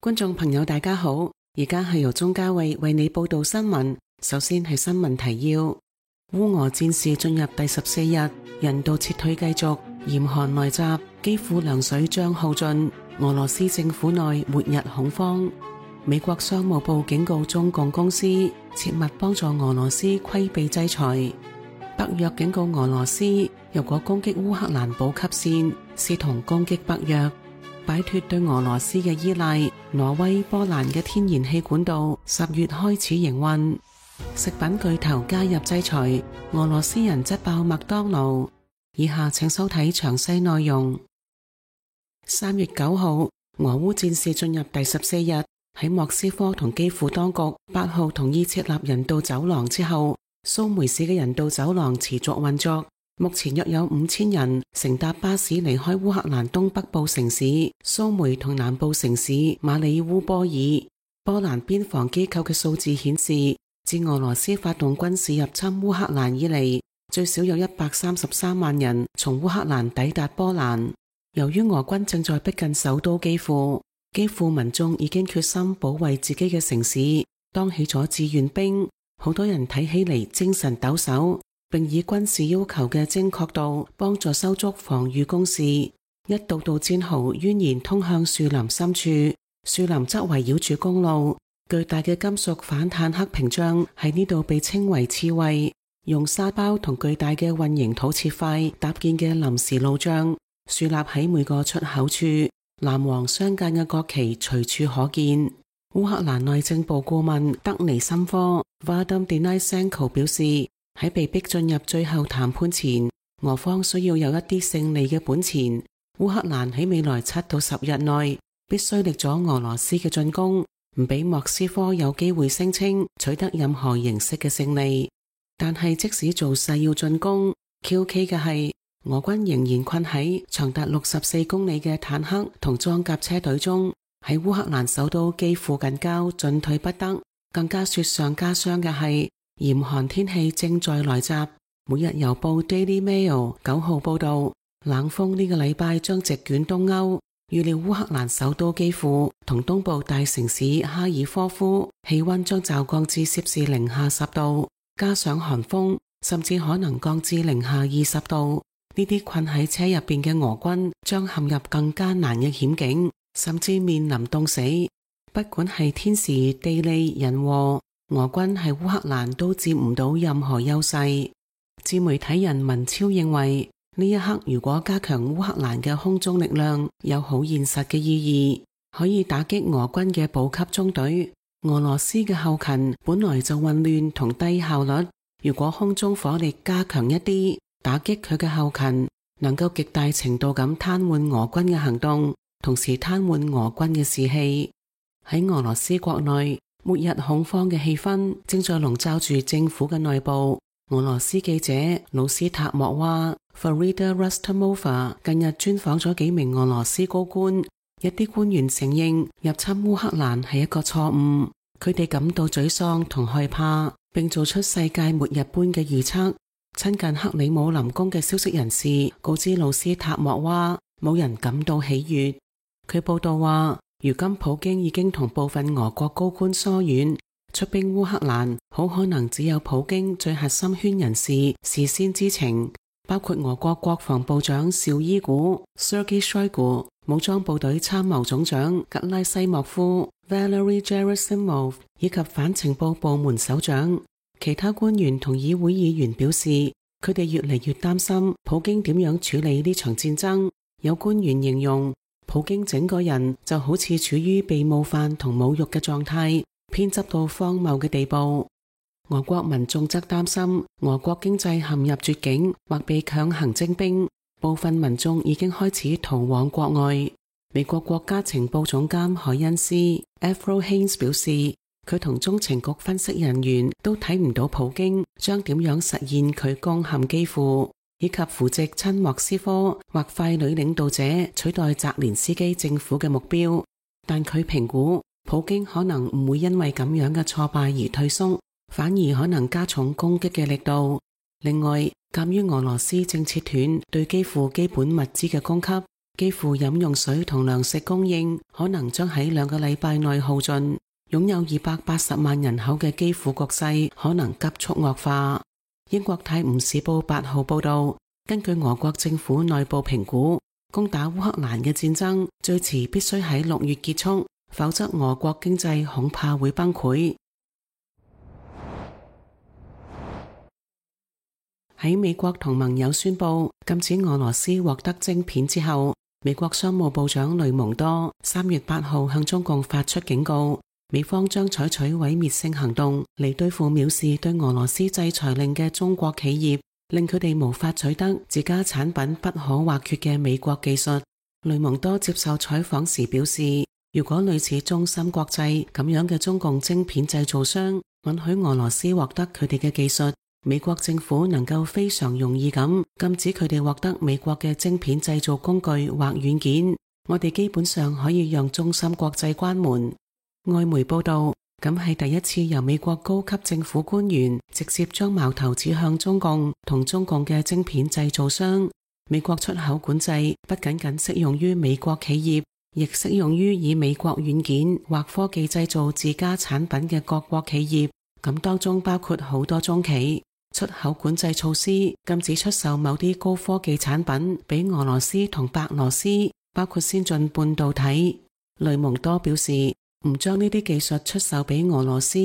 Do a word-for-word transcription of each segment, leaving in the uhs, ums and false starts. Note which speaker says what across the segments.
Speaker 1: 觀眾朋友大家好，而家係由鍾嘉慧為你報道新聞。首先係新聞提要：烏俄戰事進入第十四日，人道撤退繼續，嚴寒來襲，基輔糧水將耗盡，俄羅斯政府內末日恐慌。美國商務部警告中共公司切勿幫助俄羅斯規避制裁。北約警告俄羅斯，如果攻擊烏克蘭補給線，視同攻擊北約。擺脫對俄羅斯嘅依賴，挪威、波蘭嘅天然氣管道十月開始營運。食品巨頭加入制裁，俄羅斯人質爆麥當勞。以下請收睇詳細內容。三月九號，俄烏戰事進入第十四日，喺莫斯科同基輔當局八號同意設立人道走廊之後，蘇梅市嘅人道走廊持續運作。目前約有五千人乘搭巴士離開烏克蘭東北部城市蘇梅同南部城市馬里烏波爾。波蘭邊防機構嘅數字顯示，自俄羅斯發動軍事入侵烏克蘭以嚟，最少有一百三十三萬人從烏克蘭抵達波蘭。由於俄軍正在逼近首都基輔，基輔民眾已經決心保衛自己嘅城市，當起咗志願兵。好多人睇起嚟精神抖擻，並以軍事要求嘅精確度幫助修築防禦工事。一道道戰壕蜿蜒通向樹林深處，樹林則圍繞住公路。巨大嘅金屬反坦克屏障喺呢度被稱為刺蝟，用沙包同巨大嘅混凝土切塊搭建嘅臨時路障，豎立喺每個出口處。藍黃相間嘅國旗隨處可見。烏克蘭內政部顧問德尼申科 Vadym Denisenko 表示，喺被逼進入最後談判前，俄方需要有一啲勝利嘅本錢。烏克蘭喺未來七到十日內必須力阻俄羅斯嘅進攻，唔俾莫斯科有機會聲稱取得任何形式嘅勝利。但係即使造勢要進攻，Q K 嘅係俄軍仍然困喺長達六十四公里嘅坦克同裝甲車隊中，喺烏克蘭首都基輔近郊進退不得。更加雪上加霜嘅係嚴寒天氣正在來襲。每日郵報 Daily Mail 九號報道，冷風呢個禮拜將席捲東歐，預料烏克蘭首都基輔同東部大城市哈爾科夫氣溫將驟降至攝氏零下十度，加上寒風，甚至可能降至零下二十度。呢啲困喺車入邊嘅俄軍將陷入更艱難嘅險境，甚至面臨凍死。不管係天時地利人和，俄軍喺烏克蘭都佔唔到任何優勢。自媒體人文超認為，呢一刻如果加強烏克蘭嘅空中力量，有好現實嘅意義，可以打擊俄軍嘅補給中隊。俄羅斯嘅後勤本來就混亂同低效率，如果空中火力加強一啲，打擊佢嘅後勤，能夠極大程度咁癱瘓俄軍嘅行動，同時癱瘓俄軍嘅士氣。喺俄羅斯國內，末日恐慌嘅氣氛正在籠罩住政府嘅內部。俄羅斯記者魯斯塔莫娃 Farida Rustamova 近日專訪咗幾名俄羅斯高官，一啲官員承認入侵烏克蘭係一個錯誤，佢哋感到沮喪同害怕，並做出世界末日般嘅預測。親近克里姆林宮嘅消息人士告知魯斯塔莫娃，冇人感到喜悅。佢報道話，如今普京已經同部分俄國高官疏遠，出兵烏克蘭好可能只有普京最核心圈人士事先知情，包括俄國國防部長紹伊古 Sergei Shoigu、武裝部隊參謀總長格拉西莫夫 Valery Gerasimov 以及反情報部門首長。其他官員同議會議員表示，佢哋越嚟越擔心普京點樣處理呢場戰爭。有官員形容，普京整個人就好似處於被冒犯同侮辱嘅狀態，偏執到荒謬嘅地步。俄國民眾則擔心俄國經濟陷入絕境或被強行徵兵，部分民眾已經開始逃往國外。美國國家情報總監海恩斯 Avril Haines 表示，佢同中情局分析人員都睇唔到普京將點樣實現佢攻陷基輔，以及扶植親莫斯科或傀儡領導者取代澤連斯基政府嘅目標。但佢評估普京可能唔會因為咁樣嘅挫敗而退縮，反而可能加重攻擊嘅力度。另外，鑒於俄羅斯正切斷對基輔基本物資嘅供給，幾乎飲用水同糧食供應可能將喺兩個禮拜內耗盡，擁有二百八十萬人口嘅基輔局勢可能急速惡化。英國泰晤士報八號報道，根據俄國政府內部評估，攻打烏克蘭嘅戰爭最遲必須喺六月結束，否則俄國經濟恐怕會崩潰。喺美國同盟友宣布禁止俄羅斯獲得晶片之後，美國商務部長雷蒙多三月八號向中共發出警告，美方將採取毀滅性行動嚟對付藐視對俄羅斯制裁令嘅中國企業，令佢哋無法取得自家產品不可或缺嘅美國技術。雷蒙多接受採訪時表示，如果類似中芯國際咁樣嘅中共晶片製造商允許俄羅斯獲得佢哋嘅技術，美國政府能夠非常容易咁禁止佢哋獲得美國嘅晶片製造工具或軟件。我哋基本上可以讓中芯國際關門。外媒報道，咁係第一次由美國高級政府官員直接將矛頭指向中共同中共嘅晶片製造商。美國出口管制不僅僅適用於美國企業，亦適用於以美國軟件或科技製造自家產品嘅各國企業，咁當中包括好多中企。出口管制措施禁止出售某啲高科技產品俾俄羅斯同白羅斯，包括先進半導體。雷蒙多表示，唔將呢啲技術出售俾俄羅斯，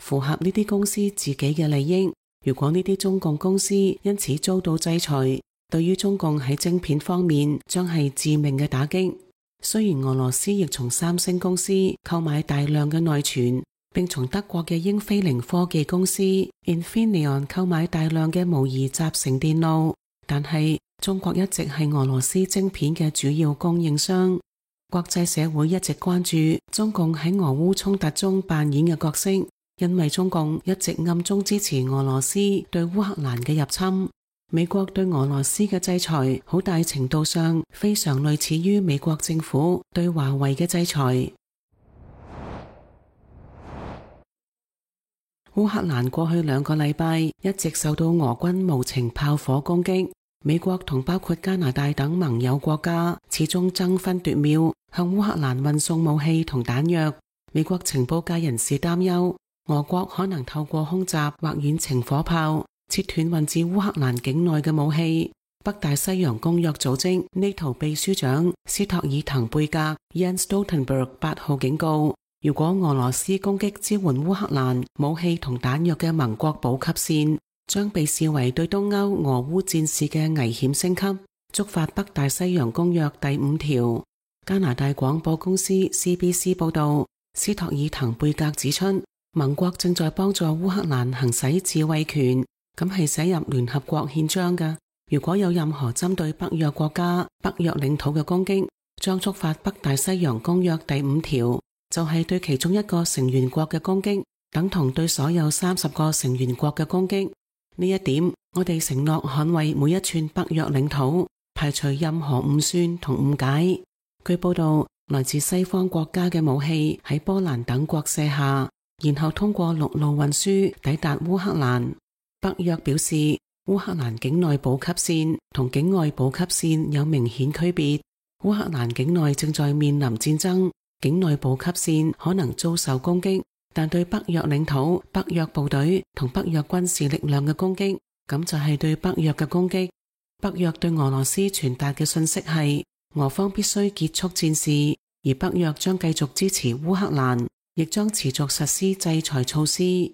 Speaker 1: 符合呢啲公司自己嘅利益。如果呢啲中共公司因此遭到制裁，對於中共喺晶片方面將係致命嘅打擊。雖然俄羅斯亦從三星公司購買大量嘅內存，並從德國嘅英飛凌科技公司 Infineon 購買大量嘅模擬集成電路，但係中國一直係俄羅斯晶片嘅主要供應商。國際社會一直關注中共喺俄烏衝突中扮演嘅角色，因為中共一直暗中支持俄羅斯對烏克蘭嘅入侵。美國對俄羅斯嘅制裁好大程度上非常類似於美國政府對華為嘅制裁。烏克蘭過去兩個禮拜一直受到俄軍無情炮火攻擊，美國同包括加拿大等盟友國家始終爭分奪秒向烏克蘭運送武器同彈藥。美國情報界人士擔憂，俄國可能透過空襲或遠程火炮切斷運至烏克蘭境內嘅武器。北大西洋公約組織 NATO 秘書長斯托爾滕貝格 Jens Stoltenberg 八號警告，如果俄羅斯攻擊支援烏克蘭武器同彈藥嘅盟國補給線，將被視為對東歐俄烏戰事嘅危險升級，觸發北大西洋公約第五條。加拿大廣播公司 C B C 報道，斯托爾滕貝格指出，盟國正在幫助烏克蘭行使自衛權，咁係寫入聯合國憲章嘅。如果有任何針對北約國家、北約領土嘅攻擊，將觸發北大西洋公約第五條。就係對其中一個成員國嘅攻擊，等同對所有三十個成員國嘅攻擊。呢一點，我哋承諾捍衛每一寸北約領土，排除任何誤算同誤解。據報道，來自西方國家嘅武器喺波蘭等國卸下，然後通過陸路運輸抵達烏克蘭。北約表示，烏克蘭境內補給線同境外補給線有明顯區別。烏克蘭境內正在面臨戰爭，境內補給線可能遭受攻擊，但對北約領土、北約部隊同北約軍事力量嘅攻擊，咁就係對北約嘅攻擊。北約對俄羅斯傳達嘅信息係，俄方必須結束戰事，而北約將繼續支持烏克蘭，亦將持續實施制裁措施。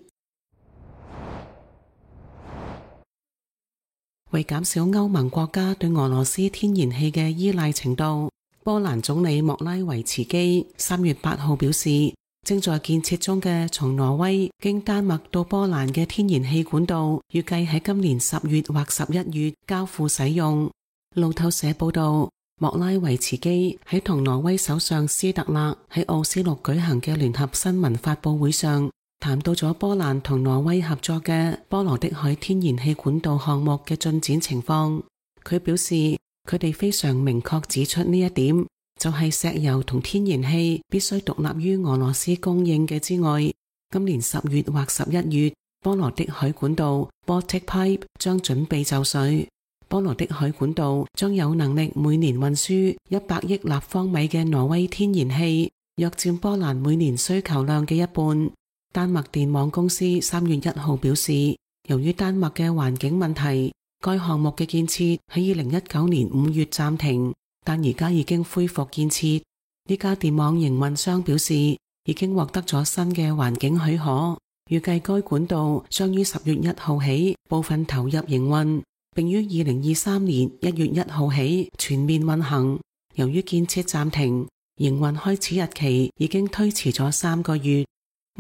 Speaker 1: 為減少歐盟國家對俄羅斯天然氣嘅依賴程度，波蘭總理莫拉維茨基三月八號表示，正在建設中嘅從挪威經丹麥到波蘭嘅天然氣管道，預計喺今年十月或十一月交付使用。路透社報道，莫拉維茨基喺同挪威首相斯特勒喺奧斯陸舉行嘅聯合新聞發佈會上，談到咗波蘭同挪威合作嘅波羅的海天然氣管道項目嘅進展情況。佢表示，佢哋非常明確指出呢一點，就係石油同天然氣必須獨立於俄羅斯供應嘅之外，今年十月或十一月，波羅的海管道 Baltic Pipe 將準備就緒。波羅的海管道將有能力每年運輸一百億立方米嘅挪威天然氣，約佔波蘭每年需求量嘅一半。丹麥電網公司三月一號表示，由於丹麥嘅環境問題，該項目嘅建設喺二零一九年五月暫停，但而家已經恢復建設。呢家電網營運商表示，已經獲得咗新嘅環境許可，預計該管道將於十月一號起部分投入營運，並於二零二三年一月一號起全面運行。由於建設暫停，營運開始日期已經推遲咗三個月。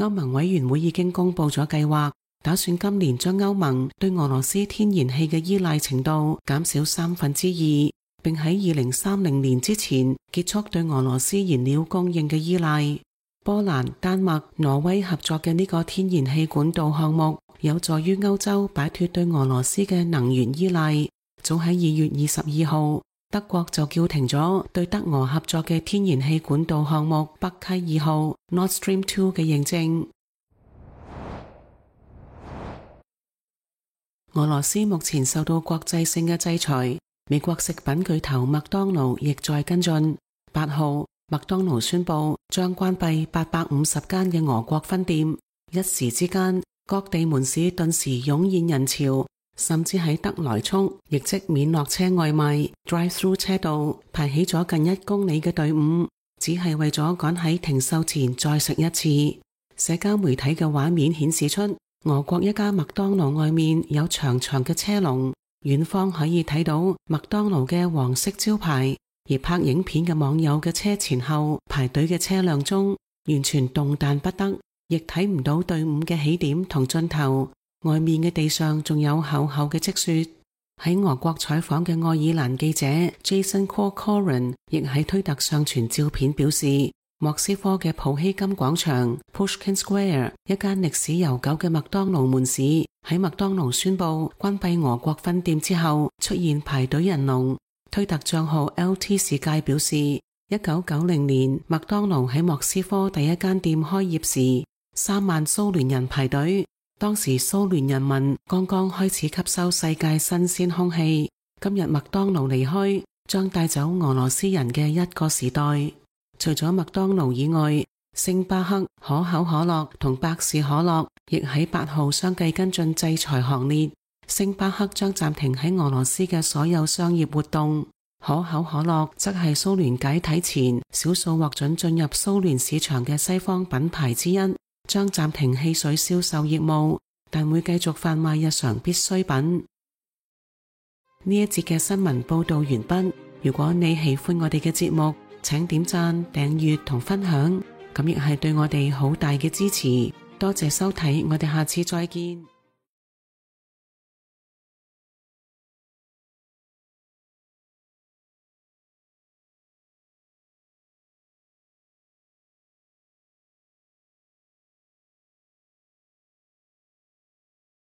Speaker 1: 歐盟委員會已經公布咗計劃，打算今年將歐盟對俄羅斯天然氣嘅依賴程度減少三分之二，並喺二零三零年之前結束對俄羅斯燃料供應嘅依賴。波蘭、丹麥、挪威合作嘅呢個天然氣管道項目，有助於歐洲擺脫對俄羅斯嘅能源依賴。早喺二月二十二號，德國就叫停咗對德俄合作嘅天然氣管道項目北溪二號 Nord Stream 二嘅認證。俄羅斯目前受到國際性嘅制裁，美國食品巨頭麥當勞亦在跟進。八號，麥當勞宣布將關閉八百五十間嘅俄國分店，一時之間，各地門市頓時湧現人潮，甚至喺德萊速，亦即免落車外賣 drive-through 車道排起咗近一公里嘅隊伍，只係為咗趕喺停售前再食一次。社交媒體嘅畫面顯示出，俄國一家麥當勞外面有長長嘅車龍，遠方可以睇到麥當勞嘅黃色招牌，而拍影片嘅網友嘅車前後排隊嘅車輛中，完全動彈不得，亦睇唔到隊伍嘅起點同盡頭，外面嘅地上仲有厚厚嘅積雪。喺俄國採訪嘅愛爾蘭記者 Jason Corcoran 亦喺推特上傳照片表示，莫斯科嘅普希金廣場 Pushkin Square 一間歷史悠久嘅麥當勞門市，喺麥當勞宣布關閉俄國分店之後出現排隊人龍。推特賬號 L T 世界表示，一九九零年麥當勞喺莫斯科第一間店開業時，三萬蘇聯人排隊，當時蘇聯人民剛剛開始吸收世界新鮮空氣。今日麥當勞離開，將帶走俄羅斯人嘅一個時代。除咗麥當勞以外，星巴克、可口可樂同百事可樂亦喺八號相繼跟進制裁行列。星巴克將暫停喺俄羅斯嘅所有商業活動，可口可樂則係蘇聯解體前少數獲准進入蘇聯市場嘅西方品牌之一，將暫停汽水銷售業務，但會繼續販賣日常必需品。呢一節嘅新聞報道完畢。如果你喜歡我哋嘅節目，請點讚、訂閱同分享，咁亦係對我哋好大嘅支持。多謝收睇，我哋下次再見。